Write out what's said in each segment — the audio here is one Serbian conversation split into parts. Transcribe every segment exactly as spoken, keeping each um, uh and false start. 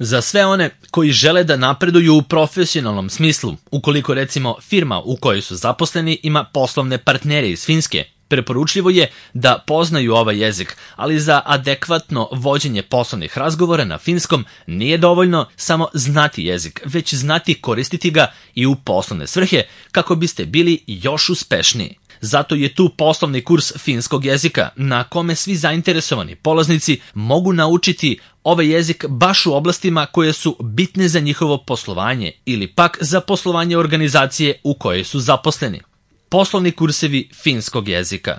Za sve one koji žele da napreduju u profesionalnom smislu, ukoliko recimo firma u kojoj su zaposleni ima poslovne partnere iz Finske, preporučljivo je da poznaju ovaj jezik, ali za adekvatno vođenje poslovnih razgovora na finskom nije dovoljno samo znati jezik, već znati koristiti ga i u poslovne svrhe kako biste bili još uspešniji. Zato je tu poslovni kurs finskog jezika na kome svi zainteresovani polaznici mogu naučiti ovaj jezik baš u oblastima koje su bitne za njihovo poslovanje ili pak za poslovanje organizacije u kojoj su zaposleni. Poslovni kursevi finskog jezika.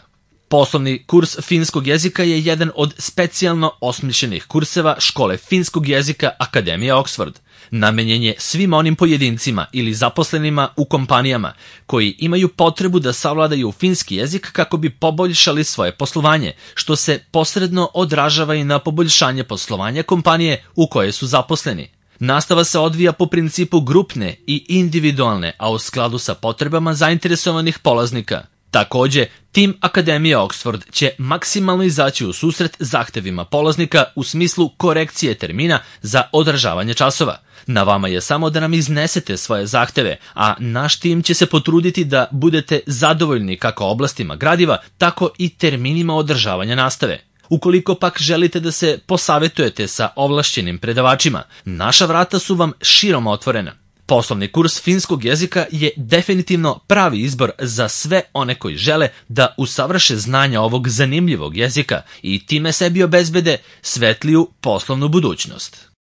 Poslovni kurs finskog jezika je jedan od specijalno osmišljenih kurseva škole finskog jezika Akademije Oxford. Namenjen je svim onim pojedincima ili zaposlenima u kompanijama koji imaju potrebu da savladaju finski jezik kako bi poboljšali svoje poslovanje, što se posredno odražava i na poboljšanje poslovanja kompanije u kojoj su zaposleni. Nastava se odvija po principu grupne i individualne, a u skladu sa potrebama zainteresovanih polaznika. Takođe, tim Akademije Oxford će maksimalno izaći u susret zahtevima polaznika u smislu korekcije termina za održavanje časova. Na vama je samo da nam iznesete svoje zahteve, a naš tim će se potruditi da budete zadovoljni kako oblastima gradiva, tako i terminima održavanja nastave. Ukoliko pak želite da se posavetujete sa ovlašćenim predavačima, naša vrata su vam širom otvorena. Poslovni kurs finskog jezika je definitivno pravi izbor za sve one koji žele da usavrše znanja ovog zanimljivog jezika i time sebi obezbede svetliju poslovnu budućnost.